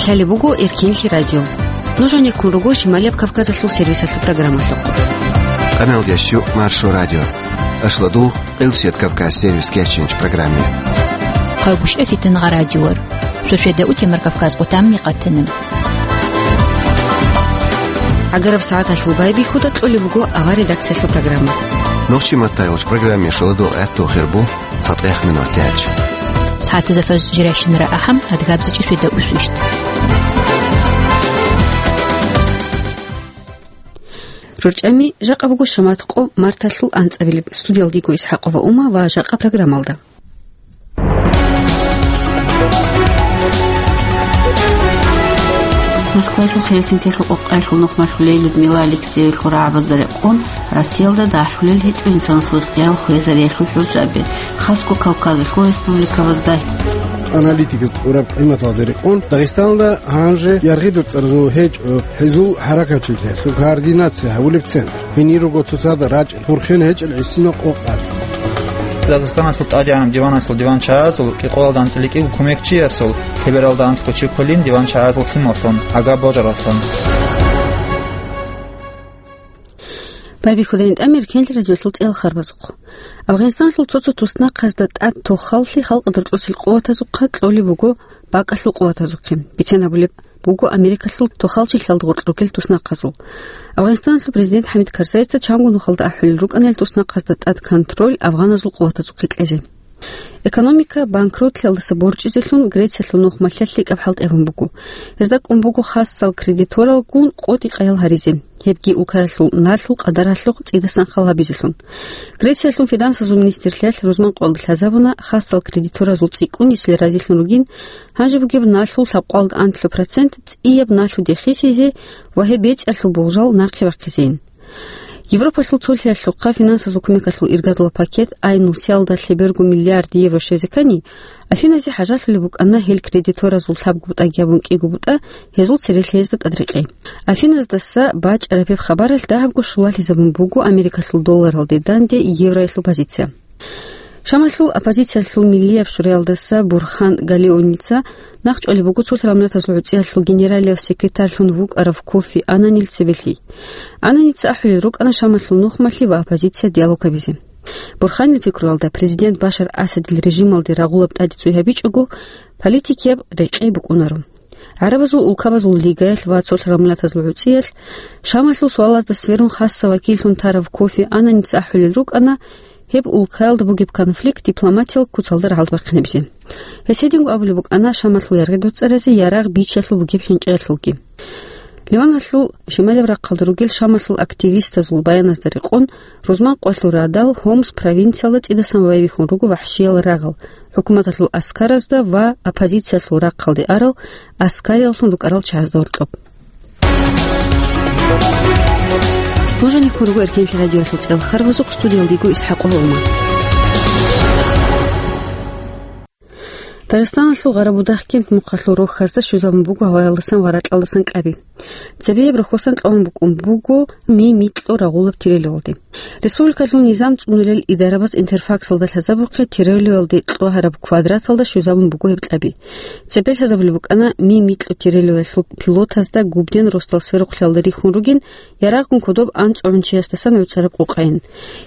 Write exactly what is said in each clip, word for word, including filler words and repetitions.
Лъалеб буго Эркенлъи радио. Нуж гьанеккун руго Шималияб Кавказалъул сервисалъул программалъухъ. Къаналдияс щу Маршо радио. Ашладу Къилсият Кавказ сервис кечинч программе. Хъагушев Фитнагъа радиор. Сосведа Утемар Кавказ къутамни къатана. ГӀагараб сагӀаталъул байбихьуда кьолеб буго авар редакциялъул программа. Нохчи маттайолч программе шоладул гӀатту хирбу. ЦатӀехъ минут гьечӀ. СагӀатазда фаз жиращинара ахӀам, адгабзачӀи светаусвищ. РорчӀами жакъа буго шамат къо марталъул анцӀабилеб. Студиялдиго Исхакова Ума ва жакъа программалда. Москвалъул Хельсинкилъул къокъаялъул нухмалъулей Людмила Алексеевлъул рагӀабазда рекъон, Россиялда дагьлъулел гьечӀо инсанасул ихтияр хвезариялъул хӀуржаби, хасго Кавказалъул республикабазда. Аналитикас тӀураб къиматалда рекъон, Дагъистаналда гьанже яргъи доцӀаразул гьечӀо гьезул хӀаракатчилъиялъул координация гьабулеб центр. Гьенир руго цоцазда рачӀ Бурхен гьечӀел гӀисинал къокъал. Дагъистаналъул тӀадегӀанаб диваналъул диванчагӀазул кӀикъоялда анцӀила кӀиго кумекчиясул лъебералда анлъго чи кколин диванчагӀазул лъималлъун, агаб божараллъун. Байбихьудайин тӀамир кенлъи радиолъул цӀел харбазухъ. Афгъанистаналъул цо-цо туснахъазда тӀад тохаллъи халкъ дарцӀусел къуватазухъа кьолеб буго бакӀалъул къуватазухъе. Бицен гьабулеб буго Америкалъул тохалчилъалда гъоркь ругел туснахъазул. Афгъанистаналъул президент ХӀамид Карзайица чанго нухалда ахӀулел рукӀана ил туснахъазда тӀад контроль афгъаназул къуватазухъе кьезе. Экономика банкротлъиялдаса борчӀизелъун Грециялъул нухмалъа лъикӀаб хӀалтӀи гьабун буго. Гьезда кӀун буго хасал кредиторалгун къотӀи-къаял гьаризе, гьебги улкаялъул налъул къадаралъухъ цӀидасан хал гьабизелъун. Грециялъул финансазул министрлъиялъ рузман къоялда лъазабуна хасал кредиторазул цӀикӀкӀунисел разилъун ругин, гьанже бугеб налъул лъабкъоялда анлъго процент цӀияб налъуде хисизе ва гьеб бецӀиялъул болжал нахъе бахъизейин. Европалъул цолъиялъухъа финансазул кумекалъул иргадала пакет ай нусиялда лъеберго миллиард евро щвезе ккани, Афиназе хӀажалъулеб букӀана гьел кредиторазул лъабго бутӀаги гьабун кӀиго бутӀа гьезул церелъиязда тӀадрекъей. Афиназдаса бачӀараб гьеб хабаралъ дагьабго щулалъизабун буго Америкалъул долларалде данде евроялъул позиция. Шамалъул оппозициялъул миллияб шураялдаса Бурхан Галеоница нахъчӀвалеб буго цолъ рамлатазул гӀуцӀиялъул генералияв секретарьлъун вукӀарав Кофи Аннанил цебелъи. Аннанил цӀахӀулел рукӀана Шамалъул нухмалъи ва оппозиция диалог гьабизе. Бурханил пикруялда, президент Башар Асадил режималде рагъулаб тӀаде цӀуй гьабичӀого, политикияб рекъей букӀунаро. ГӀарабазул улкабазул лигаялъ ва цолъ рамлатазул гӀуцӀиялъ Шамалъул суалазда сверун хасса вакиллъун тарав Кофи Аннанил цӀахӀулел рукӀана, гьеб улкаялда бугеб конфликт дипломатиял куцалда рагӀалде бахъинабизе. Гьес гьединго абулеб букӀана Шамалъул яргъи доцӀаразе ярагъ бичиялъул бугеб хӀинкъиялъулги. Ливаналъул шималаб рахъалда ругел Шамалъул активистазул баяназда рекъон, рузман къоялъул радал Хомс провинциялда цӀидасан байбихьун руго вахӀшиял рагъал, хӀукуматалъул аскаразда ва оппозициялъул рахъалде арал аскарияллъун рукӀарал чагӀазда гьоркьоб. Нуж гьанеккун руго Эркенлъи радиоялъул цӀел харбазухъ, студиялдиго Исхакова Ума. Дагъистаналъул Гъарабудагъкент мухъалъул рохьазда щвезабун буго гьаваялдасан ва ракьалдасан кӀаби. Цебеяб рохьосан кьван букӀун буго ми-микьу рагъулаб тирелевалде. Республикалъул низам цӀунулел идарабаз Интерфаксалда лъазабухъе тирелевалде кьвагьараб квадраталда щвезабун буго гьеб кьаби. Цебе лъазабулеб букӀана ми-микьу тирелевалъул пилотазда губден росдал сверухълъиялда рихьун ругин, ярагъгун кодоб анцӀгӀунчиясдасан гӀуцӀараб къокъайин.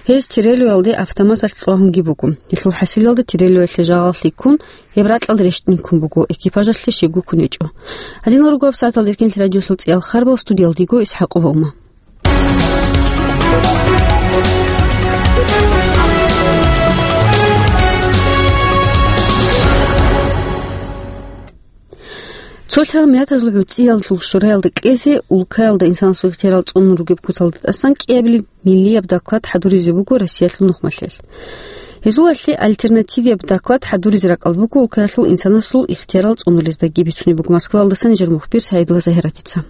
Гьез тирелевалде автоматалъ кьвагьунги буго. Гьелъул хӀасилалда тирелевалъе жагъал лъикӀкун, гьеб ракьалда рещтӀинккун буго, экипажалъе щибго ккун гьечӀо. Гьадинал руго гьаб сагӀаталда Эркенлъи радиолъул цӀиял харбал, студиялдиго Исхакова Ума. Цолъал миллатазул гӀуцӀиялъул шураялда кьезе, улкаялда инсанасул ихтиярал цӀунун ругеб куцалда тӀасан кӀиабилеб миллияб доклад хӀадуризе буго Россиялъул нухмалъел. Гьезулалъе альтернативияб доклад хӀадуризе ракӀал буго улкаялъул инсанасул ихтиярал цӀунулездаги, бицунеб буго Москваялдаса нижер мухбир Саидова Загьиратица.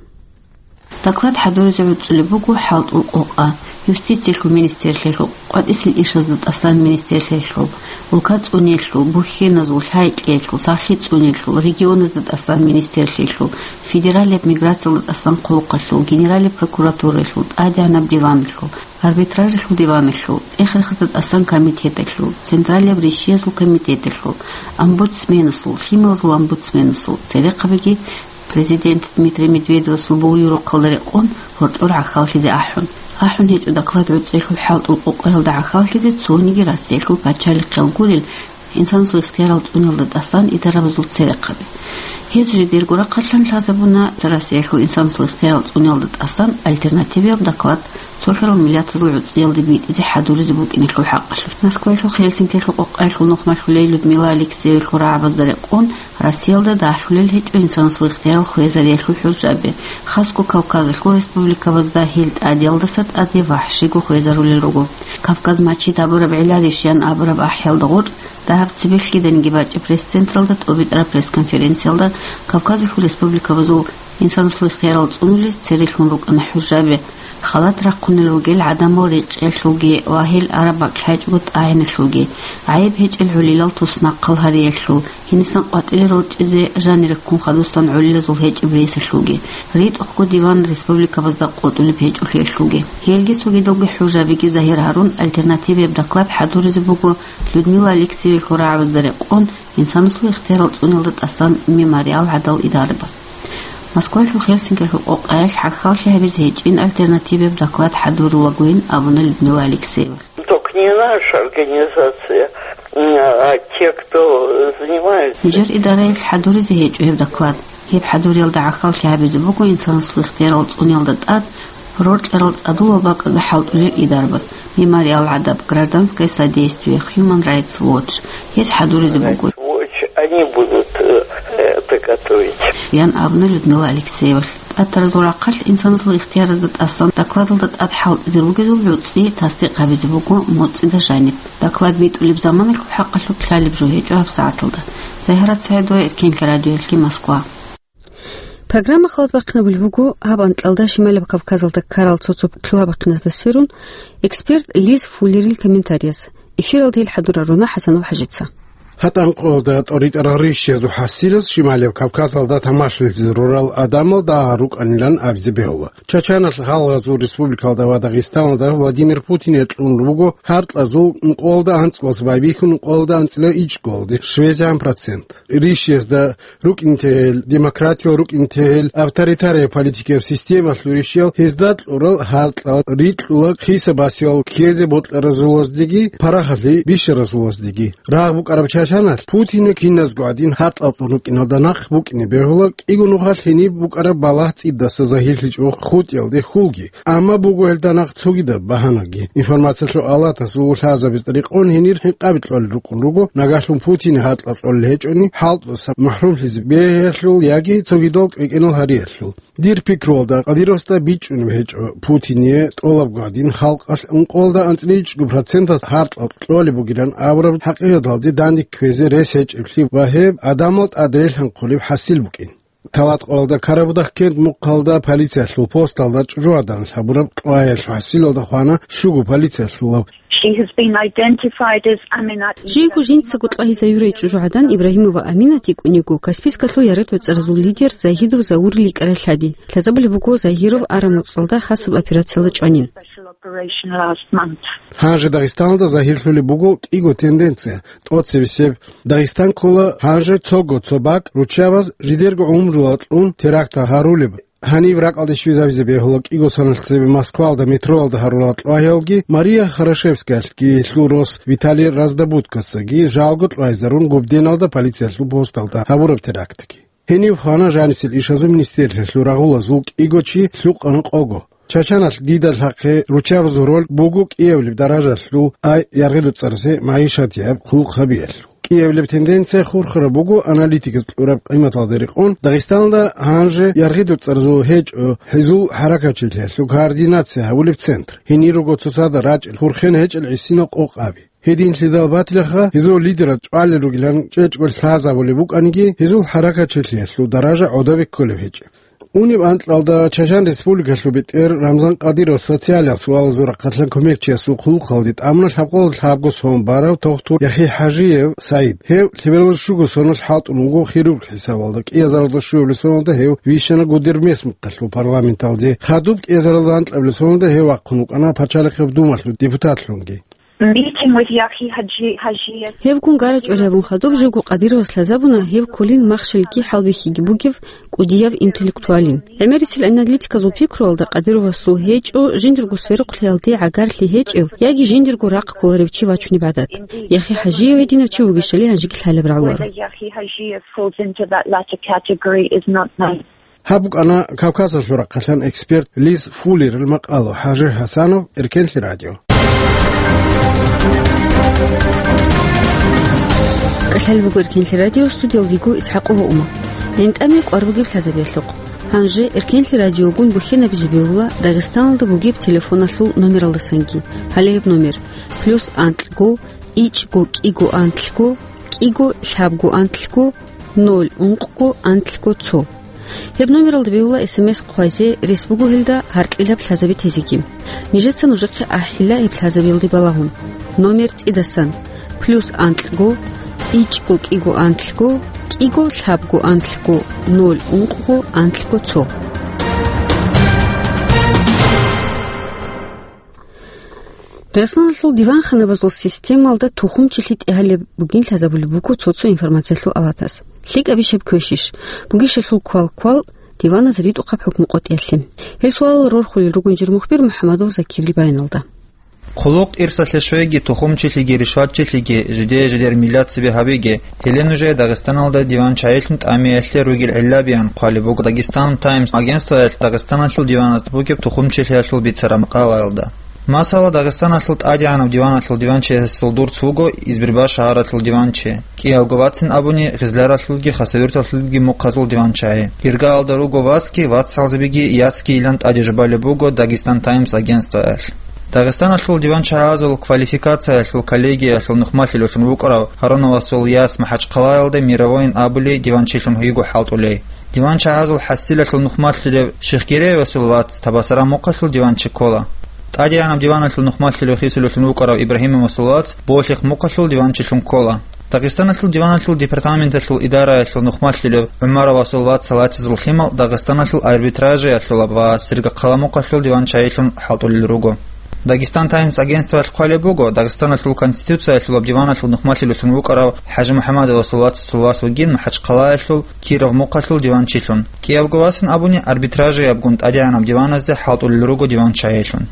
Доклад хӀадуризе гӀуцӀулеб буго хӀалтӀул къокъа, юстициялъул министрлъиялъул, къватӀисел ишазда тӀасан министрлъиялъул, улка цӀуниялъул, бухьиназул, лъайкьиялъул, сахлъи цӀуниялъул, регионазда тӀасан министрлъиялъул, федералияб миграциялда тӀасан хъулухъалъул, генералияб прокуратураялъул, тӀадегӀанаб диваналъул, арбитражалъул диваналъул, цӀех-рехсда тӀасан комитеталъул, централияб ришиязул комитеталъул, омбудсменасул, лъималазул омбудсменасул, церехъабиги Президент Дмитрий Медведевасул буюрухъалда рекъон гьоркьор гӀахьаллъизе ахӀун. АхӀун гьечӀо доклад гӀуцӀиялъул хӀалтӀул къокъаялда гӀахьаллъизе цониги Россиялъул пачалихъиял гурел инсанасул ихтиярал цӀуниялда тӀасан идарабазул церехъаби. Гьез жидерго рахъалъан лъазабуна Россиялъул инсанасул ихтиярал цӀуниялда тӀасан альтернативияб доклад цо хирал миллатазул гӀуцӀиялде битӀизе хӀадуризе букӀинелъул хӀакъалъулъ. Москваялъул Хельсинкиялъул къокъаялъул нухмалъулей Людмила Алексеевил рагӀабазда рекъон, Россиялда дагьлъулел гьечӀо инсанасул ихтиярал хвезариялъул хӀужаби. Хасго Кавказалъул республикабазда гьел тӀадиялдаса тӀаде вагьшиго хвезарулел руго. Кавказ мачид абураб гӀеларищ ян абураб ахӀиялда гъоркь, дагьаб цебехъ киданиги бачӀеб пресс-централда тӀобитӀараб пресс-конференциялда Кавказалъул республикабазул инсанасул ихтиярал цӀунулез церелъун рукӀана хӀужаби. Халат рахъунел ругел гӀадамал рекъиялъулги ва гьел араб бакӀ лъачӀого тӀагӀиналъулги, гӀайиб гьечӀел гӀолилал туснахъал гьариялъул, гьенисан къватӀире рорчӀизе жанире ккун хадусан гӀолилазул гьечӀеб ресалъулги, ритӀухъго диван республикабазда къотӀулеб гьечӀолъиялъулги. Гьелги цогидалги хӀужабиги загьир гьарун, альтернативияб доклад хӀадуризе буго Людмила Алексеевил рагӀабазда рекъон, инсанасул ихтиярал цӀуниялда тӀасан Мемориал гӀадал идарабаз. Москвалъул Хельсинкиялъул къокъаялъ гӀахьаллъи гьабизе гьечӀин альтернативияб доклад хӀадурулагойин абуна Людмила Алексеева. Только не наша организация, м, а те, кто занимается. Нижер идараялъ хӀадуризе гьечӀо гьеб доклад. Гьеб хӀадуриялда гӀахьаллъи гьабизе буго инсанасул ихтиярал цӀуниялда тӀад роркьарал цӀадулал бакӀазда хӀалтӀулел идарабаз, Мемориал гӀадаб, Гражданское содействие, Human Rights Watch. Гьез хӀадуризе буго. Они будут, э, это готовить. Ян абуна Людмила Алексеевалъ. ТӀатаразул рахъалъ инсанасул ихтияразда тӀасан докладалда тӀад хӀалтӀизе ругезул гӀуцӀи тасдикъ гьабизе буго моцӀида жаниб. Доклад битӀулеб заманалъул хӀакъалъулъ лъалеб жо гьечӀо гьабсагӀаталда. Загьарат СагӀидова, Эркенлъи радиоялъе, Москва. Программа халат бахъинабулеб буго гьаб анкьалда Шималаб Кавказалда ккарал цо-цо лъугьа-бахъиназда сверун, эксперт Лиз Фуллерил комментарияс. Эфиралда гьел хӀадурал руна ХӀасанов ХӀажица. Гьатӏанкъоялда тӀоритӀарал ришшезул хӀасилас Шималаб Кавказалда тамашалъизе рурал гӀадамал дагьал рукӀанилан абизе бегьула. Чачаналъ гьалгъазул республикалда ва Дагъистаналда Владимир Путине кьун руго гьаркьазул ункъоялда анцӀбалъ байбихьун ункъоялда анцӀила ичӀгоялде швезегӀан процент. Ришшезда рукӀинтегьел, демократиял рукӀинтегьел, авторитария политикияб системалъул ришшиял гьезда кьурал гьаркьал рикьула хисабасиял ккезе бокьаразулаздеги, парахалъи бищаразулаздеги. Рагъ букӀараб чачаналъ Путине киназго гӀадин гьаркьал кьун рукӀиналда нахъ букӀине бегьула кӀиго нухалъ гьениб букӀараб балагь цӀидаса загьирлъичӀого хутӀиялде хьулги. Амма буго гьелда нахъ цогидаб багьанаги. Информациялъул алатасул лъазабиз рекъон гьенир гьинкъаби кьолел рукӀун руго, нагагьлъун Путине гьаркьал кьолел гьечӀони, хӀалтӀуса махӀрумлъизе бегьиялъул яги цогидал кӀвекӀенал гьариялъул. Дир пикруялда, Кадыровасда бичӀчӀунеб гьечӀо Путине тӀолабго гӀадин халкъалъ ункъоялда анцӀила ичӀго процентас гьаркьал кьолеб бугилан абураб хӀакъикъаталде данде кквезе рес гьечӀеблъи ва гьеб гӀадамал тӀад релъанхъулеб хӀасил букӀин. Талаткъоялда Карабудахъ кент мухъалда полициялъул посталда чӀужугӀадан гьабураб кьваялъул хӀасилалда хвана щуго полициялъулав. She has been identified as Aminat. Жийго жинцаго кьвагьизаюрай чӀужугӀадан Ибрагьимова Аминат йикӀун йиго, Каспийскалъул яргъи-доцӀаразул лидер Загьидов Заурил йикӀарай лъади. Лъазабулеб буго Загьиров араб моцӀалда хасаб операциялда чӀванин. Special operation last month. Гьанже Дагъистаналда загьирлъулеб буго кӀиго тенденция. ТӀоцебесеб, Дагъистан ккола гьанже цого цо бакӀ руччабаз жидерго гӀумруялда кьун терактал гьарулеб. Гьаниб ракӀалде щвезабизе бегьула кӀиго соналъ цебе Москваялда метроялда гьарулел кьвагьиялги, Мария Хорошевскаялъги гьелъул рос Виталий Раздобудкоцаги жалго кьвагьизарун Губденалда полициялъул посталда гьабураб терактги. Гьенив хвана жанисел ишазул министерствоялъул рагъулазул кӀиго чи лъукъана къого. Чачаналъ дида лъахъе руччабазул роль буго кӀиабилеб даражалъул, ай яргъи-доцӀарасе магӀишатияб хъулухъ гьабиялъул. КӀиабилеб тенденция хурхараб буго аналитиказ кьураб къиматалда рекъон Дагъистаналда гьанже яргъи-доцӀаразул гьечӀо гьезул хӀаракатчилъиялъул координация гьабулеб центр. Гьенир руго цоцазда рачӀел, хурхен гьечӀел гӀисинал къокъаби. Гьединлъидал батилаха гьезул лидераз чӀвалел ругилан чӀечӀго лъазабулеб букӀаниги, гьезул хӀаракатчилъиялъул даража гӀодобе кколеб гьечӀеб. Унеб анкьалда Чачан Республикалъул бетӀер Рамзан Кадыровас социалияб суалазул рахъалъан кумекчиясул хъулухъалде тӀамуна лъабкъоялда лъабго сон барав тохтур Яхи ХӀажиев СагӀид. Гьев лъебералда щуго соналъ хӀалтӀун вуго хирург хӀисабалда, кӀиазаралда щуабилеб соналда гьев вищана Гудермес мухъалъул парламенталде, хадуб кӀиазаралда анкьабилеб соналда гьев вахъун вукӀана Пачалихъаб Думалъул депутатлъунги. Meeting with Yahi Haji, Haji. Гьеб гун гарачӀвар гьабун хадуб живго Къадировас лъазабуна гьев кколин махщелги хӀалбихьиги бугев кӀудияв интеллектуалин. ГӀемерисел аналитиказул пикруялда Къадировасул гьечӀо жиндирго сверухълъиялде гӀагарлъи гьечӀев яги жиндирго рахъ кколарев чи вачунеб гӀадат. Яхи ХӀажиев гьединав чи вугищали гьанжеги лъалеб рагӀуларо. Yahi Haji falls into that latter category is not known. Гьаб букӀана Кавказалъул рахъалъан эксперт Лиз Фуллерил макъала. ХӀажи ХӀасанов, Эркенлъи радио. КӀалъалеб буго Эркенлъи радио, студиялдего ИсхӀакъова Ума. ГӀинтӀаме кӀвар бугеб лъазабиялъухъ. Гьанже Эркенлъи радиогун бухьенабизе бегьула Дагъистаналда бугеб телефоналъул номералдасанги. Гьале гьеб номер: плюс анкьго, ичӀго кӀиго анлъго, кӀиго лъабго анлъго, ноль ункъго анлъго цо. Гьеб номералда бегьула СМС хъвазе, рес буго гьелда гьаркьилаб лъазаби тезеги. Нижеца нужехъе ахӀила гьеб лъазабиялде балагьун. Номер цӀидасан: плюс анкьго, ичӀго кӀиго анлъго, кӀиго лъабго анлъго, ноль ункъго анлъго цо. Дагъистаналъул диванханабазул системалда тухумчилъи тӀегьалеб бугин лъазабулеб буго цо-цо информациялъул аватас. ЛъикӀабищ гьеб квешищ? Бугищ гьелъул квал-квал диваназ ритӀухъаб хӀукму къотӀиялъе? Гьел суалал рорхулел ругин жир мухбир МухӀамадов Закирил баяналда. Хъулухъ ирсалъе щвеги, тухумчилъиги ришватчилъиги, жидее-жидер миллат цебе гьабиги, гьеле нужее Дагъистаналда диван чагӀилъун тӀамиялъе ругел гӀиллабиян хъвалеб буго Дагъистан Таймс агентствоялъ Дагъистаналъул диваназда бугеб тухумчилъиялъул бицараб макъалаялда. Масала, Дагъистаналъул тӀадегӀанаб диваналъул диванчиясул дурц вуго Избербаш шагьаралъул диванчи. КӀиявго вацин абуни, Гъизляралъулги Хасавюрталъулги мухъазул диванчагӀи. Иргаялда руго вацги, вацалзабиги яцги йилан тӀаде жубалеб буго Дагъистан Таймс агентствоялъ. Дагъистаналъул диванчагӀазул квалификациялъул коллегиялъул нухмалъилевлъун вукӀарав Гьаруновасул яс МахӀачхъалаялда Мировойин абулей диванчилъун йиго хӀалтӀулей. Диванчагьазул хӀасилалъул нухмалъилев Шихгереевасул вац Табасаран мухъалъул диванчи ккола. ТӀадегӀанаб диваналъул нухмалъилев хисулевлъун вукӀарав Ибрагьимовасул вац Болъихъ мухъалъул диванчилъун ккола. Дагъистаналъул диваналъул департаменталъул идараялъул нухмалъилев ГӀумаровасул вац Салатизул лъимал Дагъистаналъул арбитражиялъулаб ва Сергокъала мухъалъул диванчагӀилъун хӀалтӀулел руго. Дагъистан Таймс агентствоялъ хъвалеб буго, Дагъистаналъул Конституциялъулаб диваналъул нухмалъилевлъун вукӀарав ХӀажимухӀаммадовасул вацасул вас вугин МахӀачхъалаялъул Киров мухъалъул диванчилъун. КӀиявго васин абуни, арбитражиябгун тӀадегӀанаб диваназде хӀалтӀулел руго диванчагӀилъун.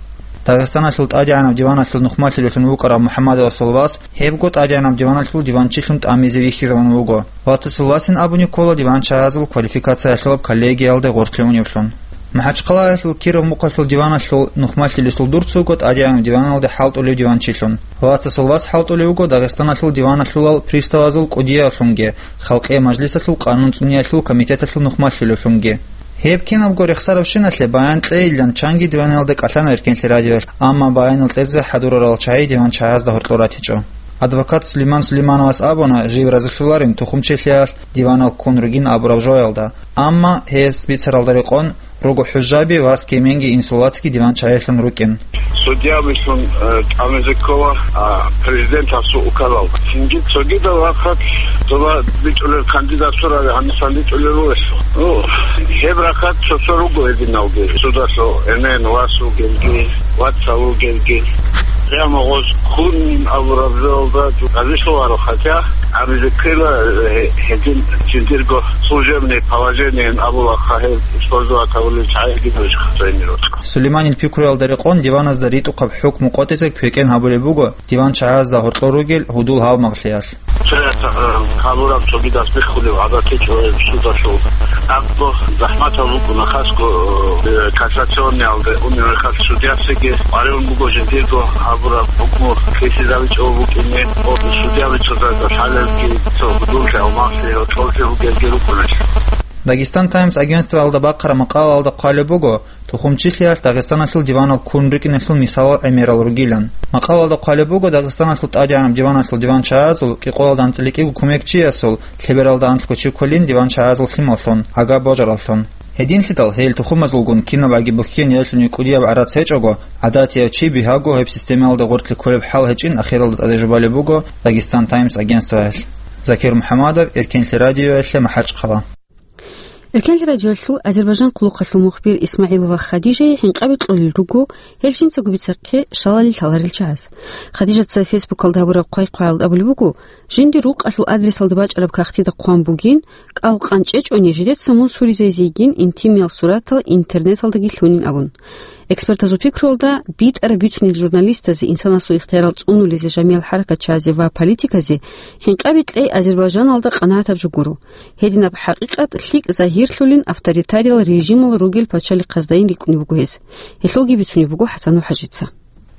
Дагъистаналъул тӀадегӀанаб диваналъул нухмалъилевлъун вукӀарав МухӀаммадовасул вас гьебго тӀадегӀанаб диваналъул диванчилъун тӀамизе вихьизавун вуго. Вацасул васин абуни ккола диванчагьазул квалификациялъулаб коллегиялде гъорлъе уневлъун. МахӀачхъалаялъул Киров мухъалъул диваналъул нухмалъилесул дурц вуго тӀадегӀанаб диваналде хӀалтӀулев диванчилъун. Вацасул вас хӀалтӀулев вуго Дагъистаналъул диваналъулал приставазул кӀудиявлъунги, Халкъиял мажлисалъул къанун цӀуниялъул комитеталъул нухмалъилевлъунги. Гьеб кинабго рехсаравщиналъе баян кьейилан чанги диваналда кӀалъана Эркенлъи радиоялъ, амма баянал кьезе хӀадурарал чагӀи диванчагьазда гьоркьор ратичӀо. Адвокат Сулейман Сулеймановас абуна, жив разилъуларин тухумчилъиялъ диванал ккун ругин абураб жоялда, амма гьес бицаралда рекъон руго хӀужаби ва кеменги инсул вацги диванчагӀилъун рукӀин. Судьябилъун, э, тӀамизе ккола, а, президентасул указал. Цинги цогидал рахъалъ цола бичӀулел кандидатураби гьанисан бичӀулел ругелъул. Ну, гьеб рахъалъ цо-цо руго гьединалги, судалъул эмен вас вугелги, вацал вугелги. Прямо гъоз хунин абураб жоялда разилъуларо, хотя гьабизе ккела, э, гьедин жиндирго служебное положениеян абулаха гьеб использовать гьабулел чагӀи гьединаб жо хасайнирал. Сулейманил пикруялда рекъон диваназда ритӀухъаб хӀукму къотӀизе квекӀен гьабулеб буго диванчагьазда гьоркьор ругел гьудул-гьалмагълъиялъ. Цояс, э, гьабураб цогидас биххулеб гӀадат гьечӀо гьеб судалъул. Абго захӀматал букӀуна хасго, э, кассационниялде унеб мехалъ судьясеги къваригӀун буго жиндирго гьабураб хӀукму ккезе ричӀого букӀине, о, судьябица лъалелги цо гьудул-гьалмагълъи гьоркьорлъи бугелги рукӀунач. Дагестан Таймс агентствоялда бахъараб макъалаялда хъвалеб буго, тухумчилъиялъ Дагъистаналъул диванал ккун рукӀиналъул мисалал гӀемерал ругилан. Макъалаялда хъвалеб буго Дагъистаналъул тӀадегӀанаб диваналъул диванчагьазул кӀикъоялда анцӀила кӀиго кумекчиясул лъебералда анлъго чи кколин диванчагьазул лъималлъун, гӀага божараллъун. Гьединлъидал гьел тухумазулгун кинабаги бухьен яйлъуни кӀудияб гӀарац гьечӀого, гӀадатияв чи бигьаго гьеб системаялда гъоркье кколеб хӀал гьечӀин ахиралда тӀаде жубалеб буго Дагестан Таймс агентствоялъ. Закир МухӀамадов, Эркенлъи радиоялъе, МахӀачхъала. Эркенлъи радиоялъул Азербайжан хъулухъалъул мухбир Исмагьилова Хадижае хӀинкъаби кьолел руго гьел жинцаго бицахъе шалалил лъаларел чагӀаз. Хадижаца Фейсбукалда гьабураб хъвай-хъваялда абулеб буго, жиндир рукъалъул адресалда бачӀараб кагътида хъван бугин, кӀал къанчӀечӀони жидеца мун суризайзейин интимиял суратал интернеталдаги лъунин абун. Экспертазул пикруялда, битӀараб бицунел журналистазе, инсанасул ихтиярал цӀунулезе, жамиял хӀаракатчазе ва политиказе хӀинкъаби кьей Азербайжаналда къанагӀатаб жо гуро. Гьединаб хӀакъикъат лъикӀ загьирлъулин авторитариял режимал ругел пачалихъаздайин рикӀкӀунеб буго гьес. Гьелъулги бицунеб буго ХӀасан ХӀажица.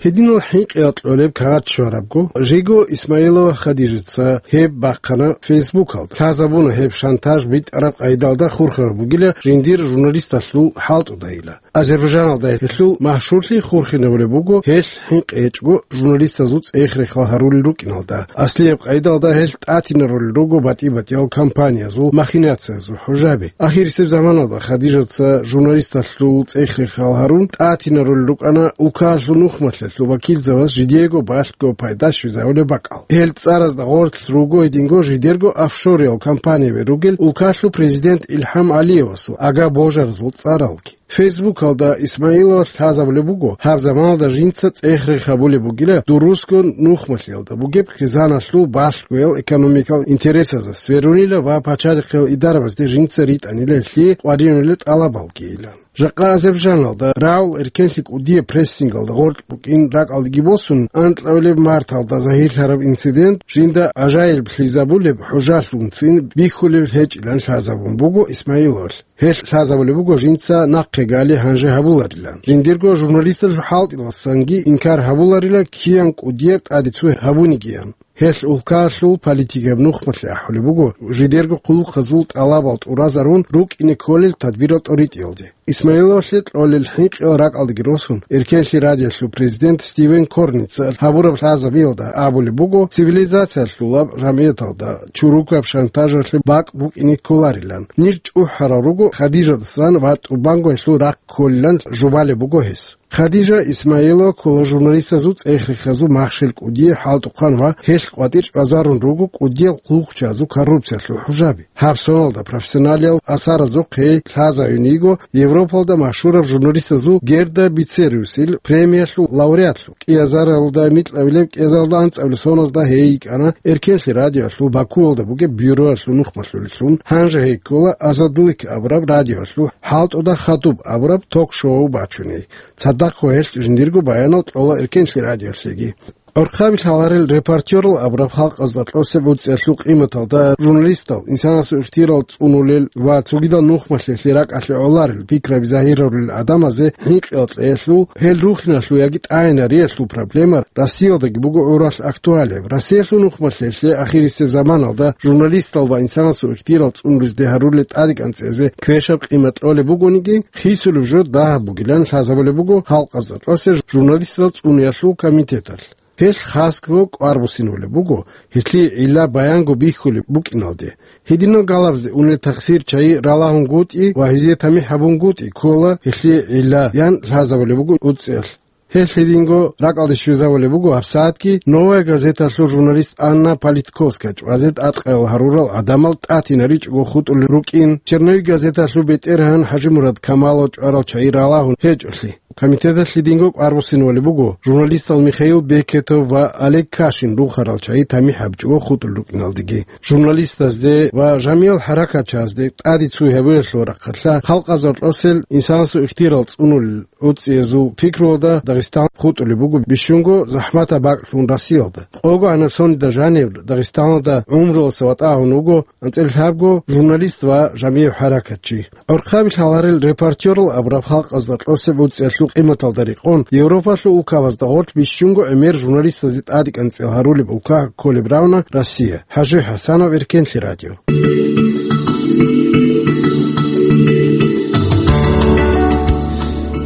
Гьединал хӀинкъи кьолеб кагъат щварабго, жего Исмаилова Хадижаца гьеб бахъана Фейсбукалда. Лъазабуна гьеб шантаж битӀараб къайдалда хурхараб бугила жиндир журналисталъул хӀалтӀудайила. Азербайжаналда гьелъул машгьурлъи хурхинабулеб буго гьелъ хӀинкъи гьечӀго журналистазул цӀех-рехал гьарулел рукӀиналда. Аслияб къайдалда гьелъ тӀатинарулел руго батӀи-батӀиял кампаниязул, махинациязул хӀужаби. Ахирисеб заманалда Хадижаца журналисталъул цӀех-рехал гьарун тӀатинарулел рукӀана улкаялъул нухмалъиялъул вакилзабаз жидего балъго пайда щвезавулеб бакӀал. Гьел цӀаразда гъорлъ руго гьединго жидерго офшориял компанияби ругел улкалъул президент Илхам ГӀалиевасул ага-божаразул цӀаралги. Фейсбукалда Исмаилов лъазабулеб буго, гьаб заманалда жинца цӀех-рех гьабулеб бугила дурусго нухмалъиялда бугеб хъизаналъул балъгоял экономикал интересазда сверунила ва пачалихъиял идарабазде жинца ритӀанила гьелъие къваригӀунила тӀалабалгийилан. Жакъа Азербайжаналда рагӀул эркенлъи кӀудияб прессингалда гъоркь букӀин ракӀалдеги босун, анкьабилеб марталда загьирлъараб инцидент жинда гӀажаиблъизабулеб хӀужалъунцин бихьулеб гьечӀилан лъазабун буго Исмаиловалъ. Гьелъ лъазабулеб буго жинца нахъе гали гьанже гьабуларилан. Жиндирго журналисталъул хӀалтӀиласанги инкар гьабуларила киян кӀудияб тӀаде цо гьабунигиян. Гьелъ улкалъул политикаб нухмалъи ахӀулеб буго, жидерго хъулухъазул тӀалабал тӀуразарун рукӀине кколел тадбирал тӀоритӀиялде. Исмаиловалъе кьолел хӀинкъиял ракӀалдеги росун, Эркенлъи радиолъул президент Стивен Корница гьабураб лъазабиялда абулеб буго, цивилизациялъулаб жамгӀияталда чурукаб шантажалъе бакӀ букӀине кколарилан. Ниж чӀухӀарал руго Хадижадасан ва тӀубанго гьелъул рахъ кколилан жубалеб буго гьес. Хадижа Исмаилова ккола журналистазул цӀех-рехазул махщел кӀудияй хӀалтӀухъан ва гьелъ къватӀир чӀвазарун руго кӀудиял хъулухъчазул коррупциялъул хӀужаби. Гьаб соналда профессионалиял асаразухъ гьей лъазаюн йиго Европалда машгьураб журналистазул Герда Бицериусил премиялъул лауреатлъун. КӀиазаралда микьабилеб, кӀиазаралда анцӀабилеб соназда гьей йикӀана Эркенлъи радиоялъул Бакуялда бугеб бюроялъул нухмалъулеллъун, гьанже гьей ккола Азадлык абураб радиоялъул хӀалтӀуда хадуб абураб ток-шоу бачуней. Цадахъ ва гьелъ жиндирго баянал кьола Эркенлъи радиолъеги. ГӀурхъаби лъаларел «Репортёрал» абураб халкъазда кьосеб гӀуцӀиялъул къиматалда журналистал, инсанасул ихтиярал цӀунулел ва цогидал нухмалъиялъе ракӀалъе гӀоларел пикраби загьирарулел гӀадамазе хӀинкъиялъул, гьел рухиналъул яги тӀагӀинариялъул проблема Россиялдаги буго гӀуралъ актуалияб. Россиялъул нухмалъиялъе ахирисеб заманалда журналистал ва инсанасул ихтиярал цӀунулезде гьарулел тӀадекӀанцӀизе квешаб къимат кьолеб бугониги, хисулеб жо дагьаб бугилан лъазабулеб буго халкъазда кьосеб журналистал цӀуниялъул комитеталъ. Гьелъ хасго кӀвар буссинабулеб буго, гьелъие гӀилла баянго бихьулеб букӀиналде. Гьединал галабазде унел тахсир чагӀи ралагьунгутӀи ва гьезие тамихӀ гьабунгутӀи ккола гьелъие гӀилла, ян лъазабулеб буго гӀуцӀиялъ. Гьелъ гьединго ракӀалде щвезавулеб буго гьабсагӀатги «Новая газеталъул» журналист Анна Политковская чӀвазе тӀадкъаял гьарурал гӀадамал тӀатинаричӀого хутӀулел рукӀин, «Черновик» газеталъул бетӀергьан ХӀажимурад Камалов чӀварал чагӀи ралагьун гьечӀолъи. Комитеталъ гьединго кӀвар буссинабулеб буго журналистал Михаил Бекетов ва Олег Кашин рухарал чагӀи тамихӀ гьабичӀого хутӀулел рукӀиналдеги. Журналистазде ва жамиял хӀаракатчазде тӀаде цуй гьабиялъул рахъалъа халкъазда кьосел инсанасул ихтиярал цӀунулел гӀуцӀиязул пикруялда Дагъистан хутӀулеб буго бищунго захӀматаб бакӀлъун Россиялда. Къого гьанаб соналда жанив Дагъистаналда гӀумруялдаса ватӀа гьавун вуго анцӀила лъабго журналист ва жамигӀ хӀаракатчи. ГӀурхъаби лъаларел «Репортёрал» абураб халкъазда кьосеб гӀуцӀиялъул къиматалда рекъон, Европалъул улкабазда гъорлъ бищунго гӀемер журналистазе тӀадекӀанцӀил гьарулеб улка кколеб равна Россия. ХӀажи ХӀасанов, Эркенлъи радио.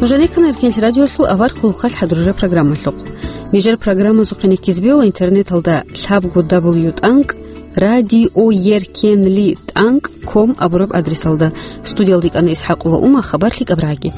Нуж рекана Эркенлъи радиолъул авар хъулухъалъ хӀадурараб программалъухъ. Нижер программазухъе нехизбе ва интернеталда лъабго дабл ю тӀанкӀ радиоеркенли тӀанкӀ ком абураб адресалда. Студиялда икӀана ИсхӀакъова Ума, хабар лъикӀаб рагӀаги.